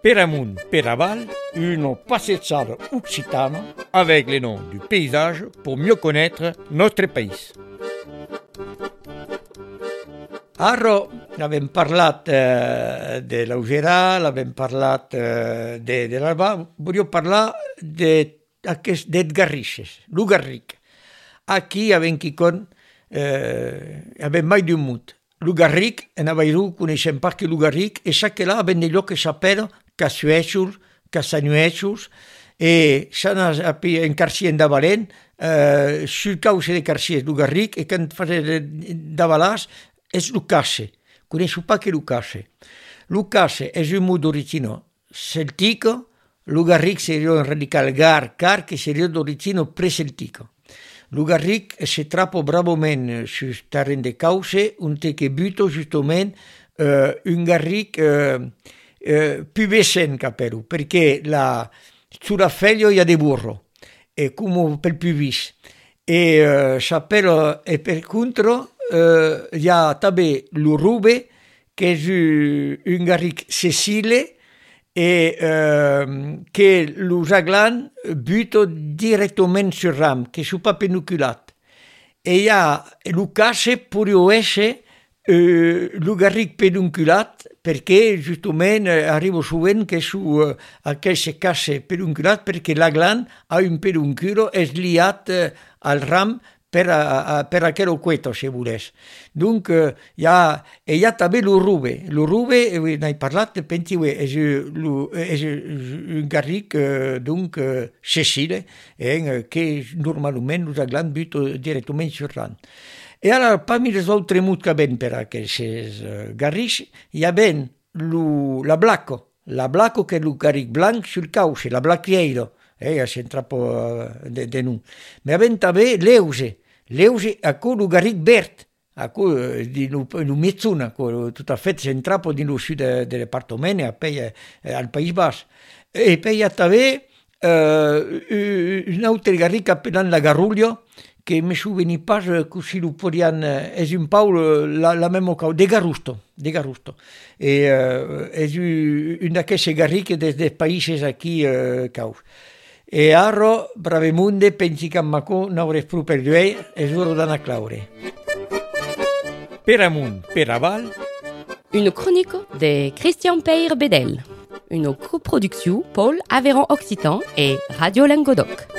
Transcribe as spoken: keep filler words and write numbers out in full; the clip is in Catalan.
Per amunt, per aval, une passeggiata occitana avec les noms du paysage pour mieux connaître notre pays. Ara abbiamo parlat eh, de l'Augerà, abbiamo parlat eh, de, de l'Alba, voglio parlare de, de Garrixes, lo Garric. Aquí abbiamo con, eh, abbiamo mai d'un mut. Lo Garric, en Avairu, coneixem pas que lo Garric, e sa que là abbiamo dei llocs que s'apera, que sueixos, que sanueixos, e s'han en Carcien de Valent, eh, sul cauce de Carciers, lo Garric, e quan fa de Valàs, és lo Casse. Coneixo pas que lo Casse. Lo Casse és un mot d'origine celtico, lo Garric seria un radical gar, car, che seria d'origine preceltico. Lo Garric se trappo bravament sul terreno de cauce, un te che buto giustament eh, un Garric eh, eh, più vecen capello, perché la, sulla foglia hi ha de burro, e come per più vis. E eh, sapere, e per contro Uh, hi ha també l'Urube, que és un Garric sessile e uh, que los aglan buto directament sur ram, que sont pas penuculat. E hi ha el Casse podria essere uh, lo Garric pedunculat, perché justament uh, arriba sovint que su uh, aquest Casse pedunculat, perquè l'aglan ha un pedunculo és liat uh, al ram per, a, per aquell cueto, si volés. Donc, eh, hi ha, e hi ha també l'Urube. L'Urube, eh, n'he parlat, pensi, és, és un Garric, eh, donc, eh, sessile, eh, que normalment els aglan buto directament sur l'an. E ara, parmi les altres mots que ben per aquests eh, Garrics, hi ha ben lo, la Blacco, la Blacco que és el Garric blanc sul cauce, la Blacchieiro, eh, c'entra po de, de nu. Ma ben també l'Euse, l'Euse a cui lo Garric verd, a cui di lo mezzuna, tutto a fait centrapo di lo sud del departamento, al País Basco. E poi ha també eh, un altro Garric appellant la Garruglio, che mi souveni pas così lo podian, è un po' la, la même cosa, de Garusto, de Garusto. E uh, è un d'aquests Garric des dels països aquí uh, caus. E ara, bravemunde, pensi que en Macó n'hauràs prou per lluir, és hora d'anar a claure. Per amunt, per aval. Une chronique de Christian Peyre Bedel. Une coproduction Paul Aveyron Occitan et Radio Languedoc.